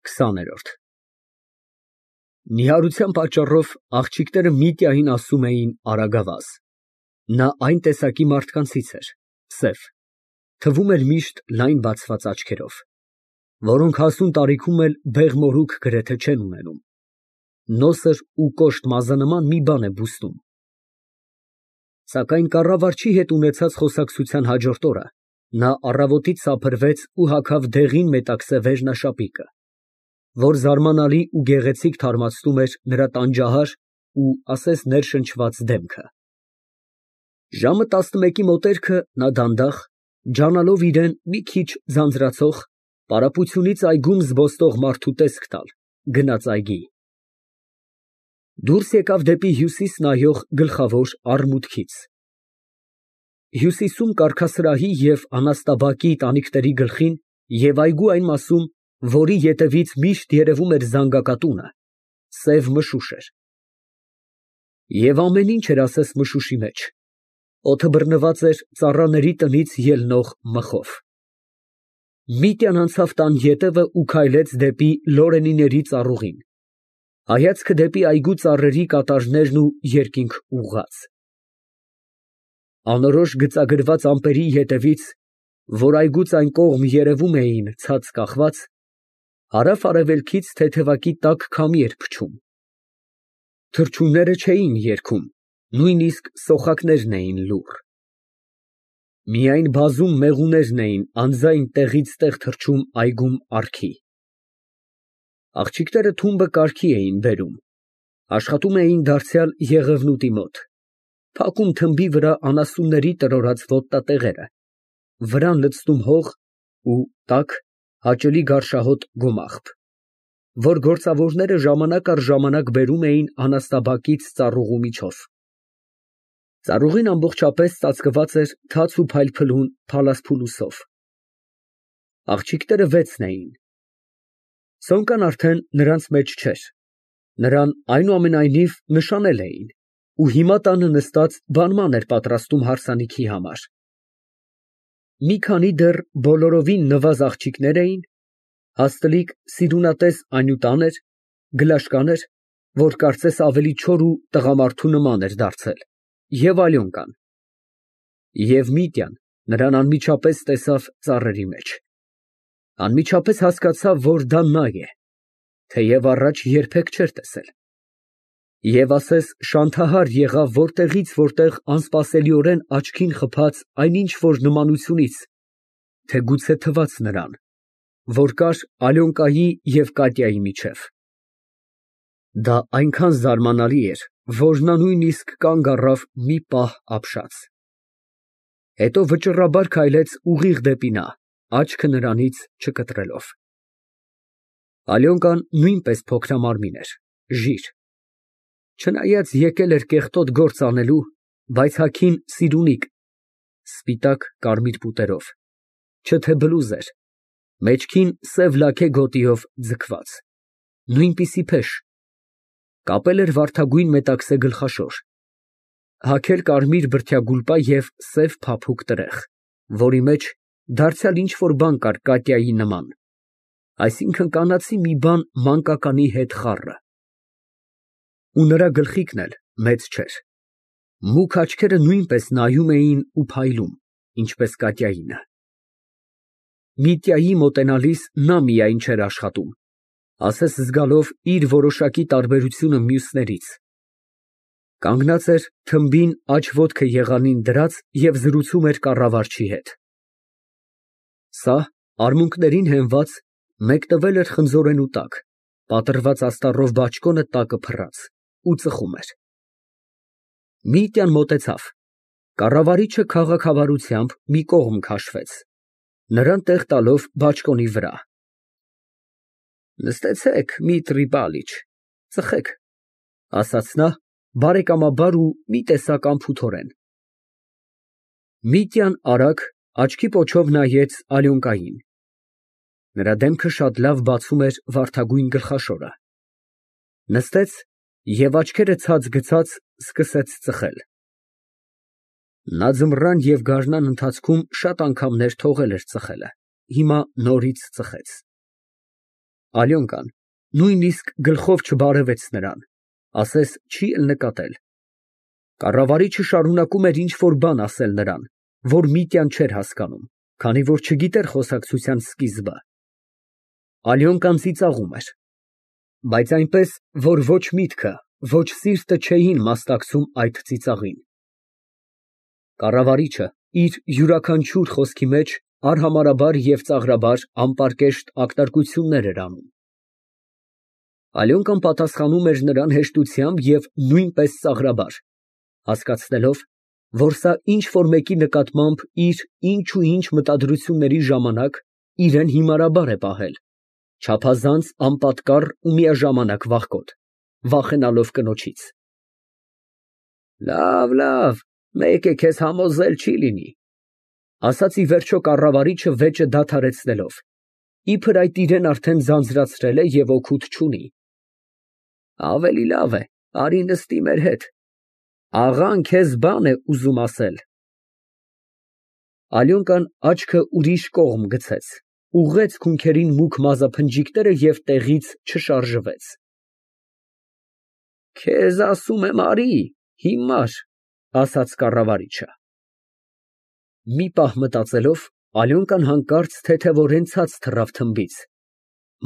20-րդ Նիհարության պատճառով աղջիկները Միտյային ասում էին արագավազ. նա այն տեսակի մարդկանցից էր, սև, թվում էր միշտ լայն բացված աչքերով, որոնք հասուն տարիքում էլ բեղ֊մորուք գրեթե չեն ունենում, նոսր ու կոշտ մազանման մի բան է բուստում։ Սակայն կառավարչի հետ ունեցած խոսակցության հաջորդ օրը նա առավոտից սափրվեց ու հագավ դեղին մետաքսե վերնաշապիկը, որ զարմանալի ու գեղեցիկ թարմացնում էր նրա տանջահար ու ասես ներշնչված դեմքը։ Ժամը 11-ի մոտերքը նա դանդաղ, ջանալով իրան մի քիչ ձանձրացող, պարապությունից այգում զբոսնող մարդու տեսք տալ, գնաց այգի։ Դուրս եկավ դեպի հյուսիս նայող գլխավոր առմուտքից։ Հյուսիսում կառքասրահի և անասնաբակի տանիքների գլխին և այգու այն մասում, որի ետևից միշտ երևում էր զանգակատունը, սև մշուշ էր։ Եվ ամեն ինչ էր ասես մշուշի մեջ, օդը բռնված էր ծառաների տնից ելնող մխով։ Միտյան անցավ տան ետևը ու քայլեց դեպի լորենիների ծառուղին, հայացքը դեպի այգու ծառերի կատարներն ու երկինք ուղղած։ Անորոշ գծագրված ամպերի ետևից, որ այգուց այն կողմ երևում էին ցած կախված, հարավ֊արևելքից թեթևակի տաք քամի էր փչում։ Թռչունները չէին երգում, նույնիսկ սոխակներն էին լուռ։ Միայն բազում մեղուներն էին անձայն տեղից տեղ թռչում այգում առքի։ Աղջիկները թումբը կարգի էին բերում, աշխատում էին դարձյալ Եղևնուտի մոտ, փակում թմբի վրա անասունների տրորած ոտնատեղերը, վրան լցնում հող ու տաք, հաճելի գարշահոտ գոմաղբ, որ գործավորները ժամանակ առ ժամանակ բերում էին անասնաբակից ծառուղու միջով։ Ծառուղին ամբողջապես ծածկված էր թաց ու փայլփլուն փալասփուլուսով։ Աղջիկները 6 էին։ Սոնկան արդեն նրանց մեջ չէր, նրան այնուամենայնիվ նշանել էին, ու հիմա տանը նստած բանման էր պատրաստում հարսանիքի համար։ Մի քանի դեռ բոլորովին նվազ աղջիկներ էին, հաստլիկ սիրունատես անյուտան էր, գլաշկաներ, որ կարծես ավելի չոր ու տղամարդու նման էր դարձել, և Ալյոնկան։ Եվ Միտյան նրան անմիջապես տեսավ ծառերի մեջ, անմիջապես հասկացավ, որ դա նա է, թեև առաջ երբեք չէր տեսել, և ասես շանթահար եղավ որտեղից որտեղ անսպասելիորեն աչքին խփած այն ինչ֊որ նմանությունից, թե գուցե թվաց նրան, որ կար Ալյոնկայի և Կատյայի միջև։ Դա այնքան զարմանալի էր, որ նա նույնիսկ կանգ առավ մի պահ ապշած։ Հետո վճռաբար քայլեց ուղիղ դեպի նա, աչքը նրանից չկտրելով։ Ալյոնկան նույնպես փոքրամարմին էր, ժիր, չնայած եկել էր կեղտոտ գործ անելու, բայց հագին սիրունիկ, սպիտակ կարմիր պուտերով, չէ թե բլուզ էր, մեջքին սև լաքե գոտիով ձգված, նույնպիսի փեշ, կապել էր վարդագույն մետաքսե գլխաշոր, հագել կարմիր բրդյա գուլպա և սև փափուկ տրեղ, որի մեջ դարձյալ ինչ֊որ բան կար Կատյայի նման, այսինքն կանացի մի բան մանկականի հետ խառը։ Ու նրա գլխիկն էլ մեծ չէր, մուգ աչքերը նույնպես նայում էին ու փայլում, ինչպես Կատյայինը։ Միտյայի մոտենալիս նա միայն չէր աշխատում, ասես զգալով իր որոշակի տարբերությունը մյուսներից, կանգնած էր թմբին աջ ոտքը եղանին դրած և զրուցում էր կառավարչի հետ։ Սա արմունկներին հենված, մեկտվել էր խնձորենու տակ, պատռված աստառով բաճկոնը տակը փռած ու ծխում էր։ Միտյան մոտեցավ, կառավարիչը քաղաքավարությամբ մի կողմ քաշվեց, նրան տեղ տալով բաճկոնի վրա։ Նստեցեք, Միտրի Պալիչ, ծխեք, ֊ ասաց նա բարեկամաբար ու մի տեսակ անփութորեն։ Միտյան արագ, աչքի պոչով նայեց Ալյոնկային։ Նրա դեմքը շատ լավ բացում էր վարդագույն գլխաշորը։ Նստեց և աչքերը ցած գցած սկսեց ծխել։ Նա ձմռան և գարնան ընթացքում շատ անգամներ թողել էր ծխելը, հիմա նորից ծխեց։ Ալյոնկան նույնիսկ գլխով չբարևեց նրան, ասես չի էլ նկատել։ Կառավարիչը շարունակում էր ինչ֊որ բան ասել նրան, որ Միտյան չէր հասկանում, քանի որ չգիտեր խոսակցության սկիզբը։ Ալյոնկան ծիծաղում էր, բայց այնպես, որ ոչ միտքը, ոչ սիրտը չէին մասնակցում այդ ծիծաղին։ Կառավարիչը իր յուրաքանչյուր խոսքի մեջ արհամարհաբար և ծաղրաբար անպարկեշտ ակնարկություններ էր անում։ Ալյոնկան պատասխանում էր նրան հեշտությամբ և նույնպես ծաղրաբար, հասկացնելով, որ սա ինչ֊որ մեկի նկատմամբ իր ինչ ու ինչ մտադրությունների ժամանակ իրան հիմարաբար է պահել, չափազանց անպատկառ ու միաժամանակ վախկոտ, վախենալով կնոջից։ Լավ, մեկ է քեզ համոզել չի լինի, ասաց ի վերջո կառավարիչը վեճը դադարեցնելով, իբր այդ իրան արդեն ձանձրացրել է և օգուտ չունի։ Ավելի լավ է, արի նստի մեր հետ, աղան քեզ բան է ուզում ասել։ Ալյոնկան աչքը ուրիշ կողմ գցեց, ուղղեց քունքերին մուգ մազափնջիկները և տեղից չշարժվեց։ Քեզ ասում եմ արի, հիմար, ասաց կառավարիչը։ Մի պահ մտածելով, Ալյոնկան հանկարծ թեթևորեն ցած թռավ թմբից,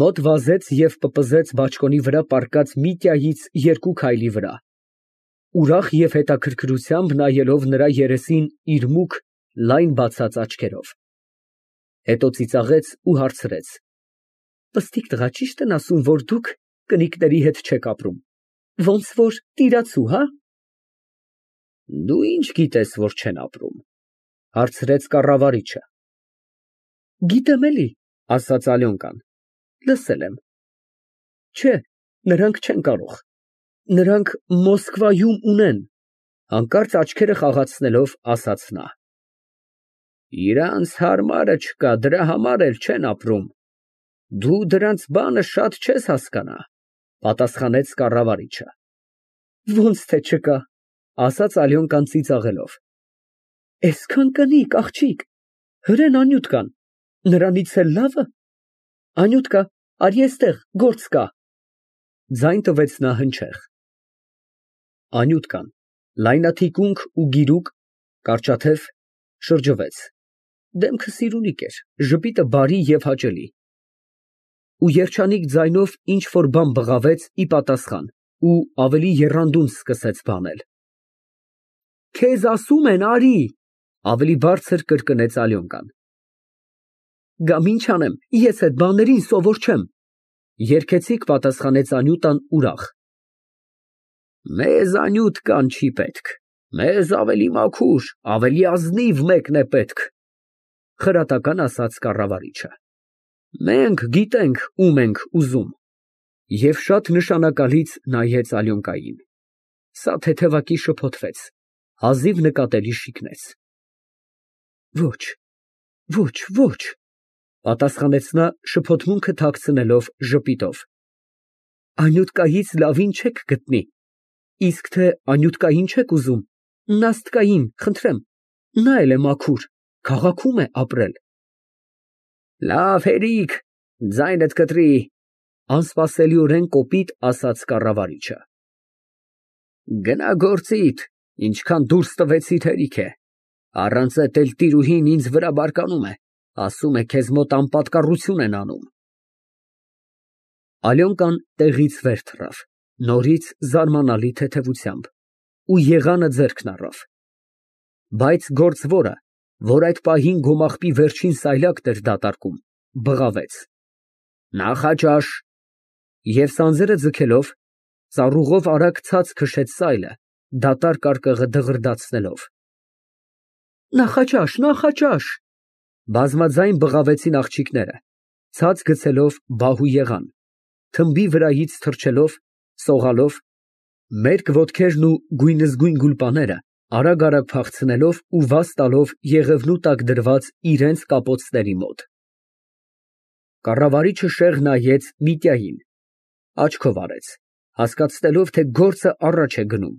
մոտ վազեց և պպզեց բաճկոնի վրա պառկած Միտյայից 2 քայլի վրա, ուրախ և հետաքրքրությամբ նայելով նրա երեսին իր մուգ, լայն բացած աչքերով։ Հետո ծիծաղեց ու հարցրեց. Պստիկ տղա, ճի՞շտ են ասում, որ դուք կնիկների հետ չեք ապրում, ոնց որ տիրացու, հա։ Դու ինչ գիտես, որ չեն ապրում, հարցրեց կառավարիչը։ Գիտեմ էլի, ասաց Ալյոնկան, լսել եմ։ Չէ, նրանք չեն կարող, նրանք Մոսկվայում ունեն, հանկարծ աչքերը խաղացնելով ասաց նա։ Իրանց հարմարը չկա, դրա համար էլ չեն ապրում, դու դրանց բանը շատ չես հասկանա, պատասխանեց կառավարիչը։ Ոնց թե չկա, ասաց Ալյոնկան ծիծաղելով։ Էսքան կնիկ, աղջիկ, հրեն Անյուտկան, նրանից էլ լավը։ Անյուտկա, արի էստեղ, գործ կա։ Ձայն տվեց նա հնչեղ։ Անյուտկան, լայնաթիկունք ու գիրուկ, կարճաթև, շրջվեց, դեմքը սիրունիկ էր, ժպիտը բարի և հաճելի, ու երջանիկ ձայնով ինչ֊որ բան բղավեց ի պատասխան ու ավելի եռանդուն սկսեց բանել։ Քեզ ասում են, արի, ավելի բարձր կրկնեց Ալյոնկան։ Գամ ինչ անեմ, ես էդ բաներին սովոր չեմ, երգեցիկ պատասխանեց Անյուտան ուրախ։ Մեզ Անյուտկան չի պետք, մեզ ավելի մաքուր, ավելի ազնիվ մեկն է պետք, խրատական ասաց կառավարիչը։ Մենք գիտենք ում ենք ուզում։ Եվ շատ նշանակալից նայեց Ալյոնկային։ Սա թեթևակի շփոթվեց, հազիվ նկատելի շիկնեց։ Ոչ, պատասխանեց նա շփոթմունքը թաքցնելով ժպիտով։ Անյուտկայից լավին չեք գտնի, իսկ թե Անյուտկային չեք ուզում, Նաստկային, խնդրեմ, նա էլ է մաքուր, քաղաքում է ապրել։ Լավ հերիք, ձայնդ կտրի, անսպասելիորեն կոպիտ ասաց կառավարիչը։ Գնա գործիդ, ինչքան դուրս տվեցիր հերիք է, առանց էդ էլ տիրուհին ինձ վրա բարկանում է, ասում է քեզ մոտ անպատկառություն են անում։ Ալյոնկան տեղից վեր թռավ, նորից զարմանալի թեթևությամբ, ու եղանը ձեռքն առավ։ Բայց գործվորը, որ այդ պահին գոմաղբի վերջին սայլակն էր դատարկում, բղավեց. Նախաճաշ, և սանձերը ձգելով, ծառուղով արագ ցած քշեց սայլը, դատարկ արկղը դղրդացնելով։ Նախաճաշ, բազմաձայն բղավեցին աղջիկները, ցած գցելով բահ ու եղան, թմբի վրայից թռչելով, սողալով, մերկ ոտքերն ու գույնզգույն գուլպաները արագ փախցնելով ու վազ տալով եղևնու տակ դրված իրենց կապոցների մոտ։ Կառավարիչը շեղ նայեց Միտյային, աչքով արեց, հասկացնելով, թե գործը առաջ է գնում,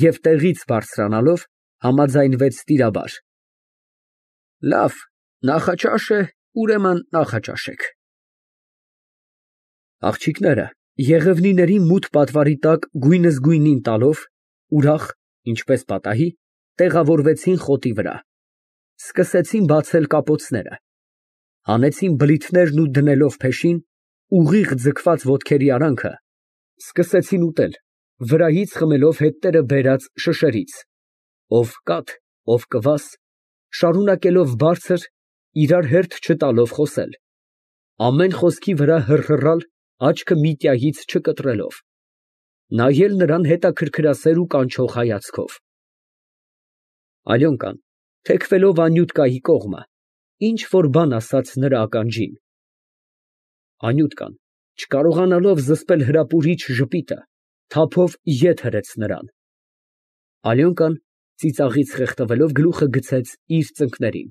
և տեղից բարձրանալով համաձայնվեց տիրաբար. Լավ, նախաճաշ է, ուրեմն նախաճաշեք։ Աղջիկները եղևնիների մութ պատվարի տակ գույնզգույնին տալով, ուրախ, ինչպես պատահի, տեղավորվեցին խոտի վրա, սկսեցին բացել կապոցները, հանեցին բլիթներն ու դնելով փեշին, ուղիղ ձգված ոտքերի արանքը, սկսեցին ուտել, վրայից խմելով հետները բերած շշերից, ով կաթ, ով կվաս, շարունակելով բարձր, իրար հերթ չտալով խոսել, ամեն խոսքի վրա հռհռալ, աչքը միտյայից չկտրելով, նայել նրան հետաքրքրասեր ու կանչող հայացքով։ Ալյոնկան, թեքվելով Անյուտկայի կողմը, ինչ֊որ բան ասաց նրա ականջին։ Անյուտկան, չկարողանալով զսպել հրապուրիչ ժպիտը, թափով ետ հրեց նրան։ Ալյոնկան, ծիծաղից խեղդվելով, գլուխը գցեց իր ծնկներին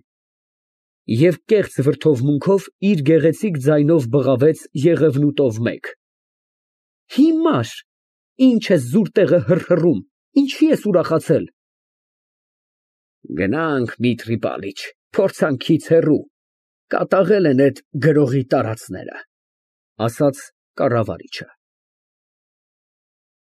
և կեղծ վրդովմունքով իր գեղեցիկ ձայնով բղավեց եղևնուտով մեկ. Հիմար, ինչ ես զուր տեղը հռհռում, ինչի ես ուրախացել։ Գնանք, Միտրի պալիչ, փորձանքից հեռու, կատաղել են էդ գրողի տարածները, ասաց կառավարիչը։